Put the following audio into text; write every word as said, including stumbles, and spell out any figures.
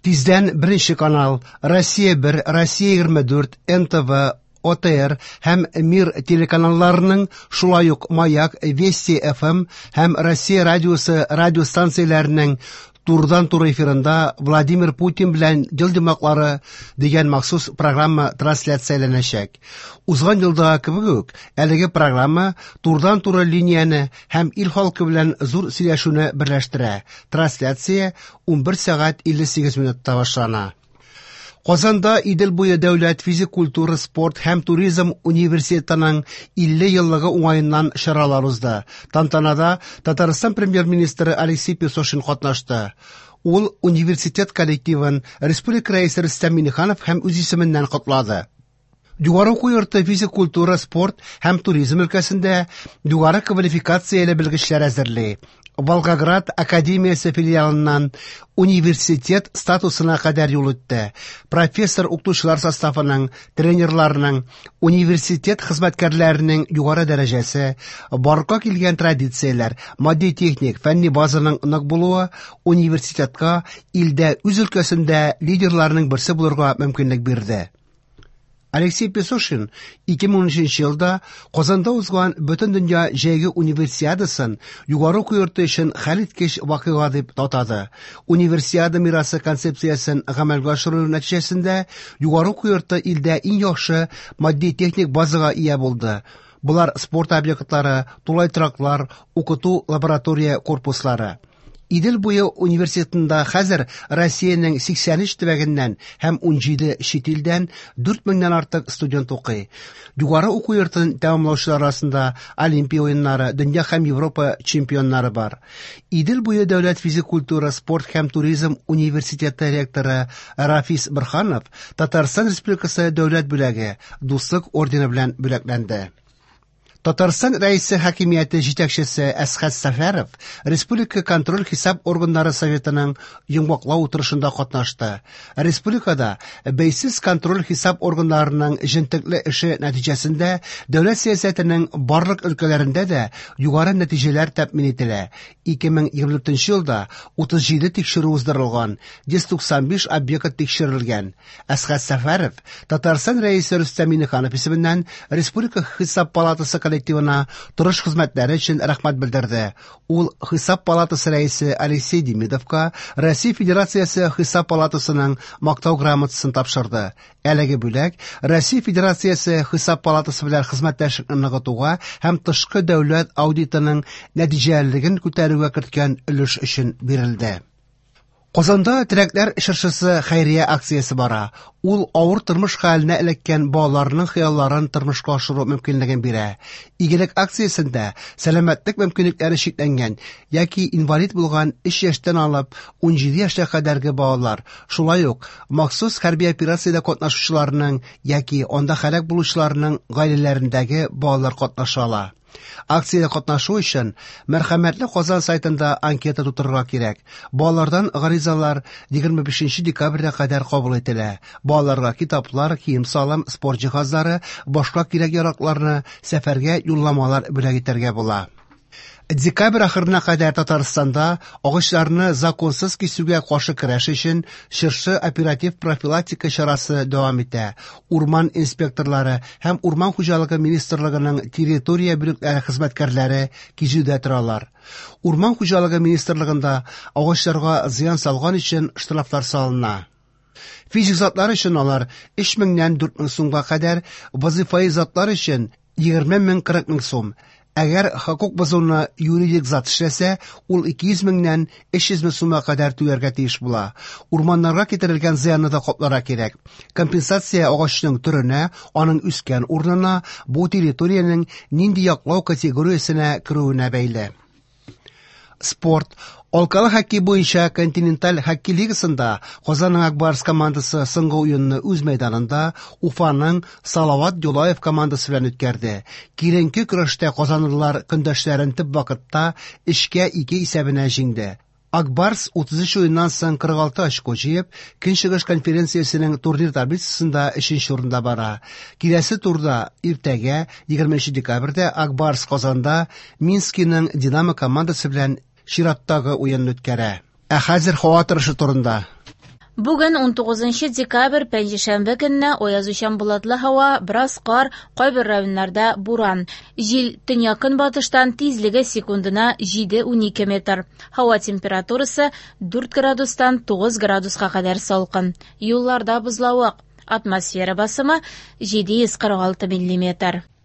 Тиздән Беренче канал, Россия бер, Россия егерме дүрт, эн тэ вэ, о тэ эр һәм Мир телеканалларының, шулай ук Маяк, Вести эф эм һәм Россия радиосы радиостанцияләренең турыдан-туры эфирында Владимир Путин белән ел йомгаклары дигән махсус программа трансляцияләнәчәк. Узган елдагы кебек үк, әлеге программа турыдан-туры линияне һәм ил халкы белән зур сөйләшүне берләштерә. Трансляция унбер сәгать илле сигез минутта башлана. Казанда Идел буе дәүләт физик культура, спорт һәм туризм университетының илле еллыгы уңаеннан чаралар узды. Тантанада Татарстан премьер-министры Алексей Песошин катнашты. Ул университет коллективын республика рәисе Рөстәм Миңнеханов һәм үз исеменнән котлады. Югары уку йорты физик культура, спорт һәм туризм өлкәсендә югары квалификацияле белгечләр әзерли. Волгоград академиясе филиалыннан университет статусына кадәр юл үтте. Профессор укытучылар составының, тренерларының, университет хезмәткәрләренең югары дәрәҗәсе, барлыкка килгән традицияләр, матди-техник, фәнни базаның нык булуы университетка илдә үз өлкәсендә лидерларның берсе булырга мөмкинлек бирде. Алексей Песошин ике мең унөченче елда Казанда узган Бөтендөнья җәйге универсиадасын югары уку йорты өчен хәлиткеч вакыйга дип атады. Универсиада мирасы концепциясен гамәлгә ашыру нәтиҗәсендә югары уку йорты илдә иң яхшы матди-техник базага ия булды. Болар спорт объектлары, тулай тораклар, укыту лаборатория корпуслары. Идел буе университетында хәзер Россиянең сиксән өч төбәгеннән һәм унҗиде чит илдән дүрт меңнән артык студент укый. Югары уку йортын тәмамлаучылар арасында Олимпия уеннары, дөнья һәм Европа чемпионнары бар. Идел буе дәүләт физик культура, спорт һәм туризм университеты ректоры Рафис Борһанов Татарстан Республикасы дәүләт бүләге Дуслык ордены белән бүләкләнде. Татарстан Рәисе хакимияте җитәкчесе Әсхәт Сәфәров Республика контроль хисап органнары советының йомгаклау утырышында катнашты. Республикада бәйсез контроль хисап органнарының җентекле эше нәтиҗәсендә дәүләт сәясәтенең барлык өлкәләрендә дә югары нәтиҗәләр тәэмин ителә. Ике мең егерме дүртенче елда утыз җиде тикшерү уздырылган, йөз туксан биш объект тикшерелгән. Әсхәт Сәфәров Татарстан Рәисе Рөстәм Миңнеханов исеменнән Республика Хисап палатасы коллективына тырыш хезмәтләре өчен рәхмәт белдерде. Ул Хисап палатасы рәисе Алексей Демидовка Россия Федерациясе Хисап палатасының мактау грамотасын тапшырды. Әлеге бүләк Россия Федерациясе Хисап палатасы белән хезмәттәшлекне ныгытуга һәм тышкы дәүләт аудитының нәтиҗәлелеген күтәрүгә керткән өлеш өчен бирелде. Казанда Теләкләр чыршысы хәйрия акциясе бара. Ул авыр тормыш хәленә эләккән балаларның хыялларын тормышка ашыру мөмкинлеген бирә. Игелек акциясендә сәламәтлек мөмкинлекләре чикләнгән яки инвалид булган өч яшьтән алып унҗиде яшькә кадәрге балалар, шулай ук махсус хәрби операциядә катнашучыларның яки анда һәлак булучыларның гаиләләрендәге балалар катнаша ала. Акциядә катнашу өчен Мәрхәмәтле Казан сайтында анкета тутырырга кирәк. Балалардан гаризалар егерме бишенче декабрьгә кадәр кабул ителә. Балаларга китаплар, кием-салым, спорт җиһазлары, башка кирәк-яракларны сәфәргә юлламалар бүләк итәргә була. Декабрь ахырына кадәр Татарстанда агачларны законсыз кисүгә каршы көрәш өчен чыршы оператив профилактика чарасы дәвам итә. Урман инспекторлары һәм Урман хуҗалыгы министрлыгының территория бүлекләре хезмәткәрләре кизүдә торалар. Урман хуҗалыгы министрлыгында агачларга зыян салган өчен штрафлар салына. Физик затлар өчен алар өч меңнән дүрт мең сумга кадәр, вазифаи затлар өчен егерме мең кырык мең сум. Әгәр хокук бозуны юридик зат эшләсә, ул ике йөз меңнән өч йөз мең сумга кадәр түләргә тиеш була. Урманнарга китерелгән зыянны да капларга кирәк. Компенсация агачның төренә, аның үскән урынына, бу территориянең нинди яклау категориясенә керүенә бәйле. Спорт. Алкалы хоккей буенча континенталь хоккей лигасында Казанның Ак Барс командасы соңгы уенны үз мәйданында Уфаның Салават Юлаев командасы белән үткәрде. Киеренке көрәштә казанлылар көндәшләрен төп вакытта өчкә ике исәбенә җиңде. Ак Барс утыз өч уеннан соң кырык алты очко җыеп, Көнчыгыш конференциясенең турнир таблицасында өченче урында бара. Киләсе турда иртәгә, егерменче декабрьдә Ак Барс Казанда Минскиның Динамо командасы белән чираттагы уенны үткәрә. Ә хәзер һава торышы турында. Бүген унтугызынчы декабрь, пәнҗешәмбе көнне аязучан болытлы һава, бераз кар, кайбер районнарда буран. Җил төньяк-көнбатыштан, тизлеге секундына җиде-унике метр. Һава температурасы дүрт градустан тугыз градуска кадәр салкын. Юлларда бозлавык. Атмосфера басымы җиде йөз кырык алты миллиметр.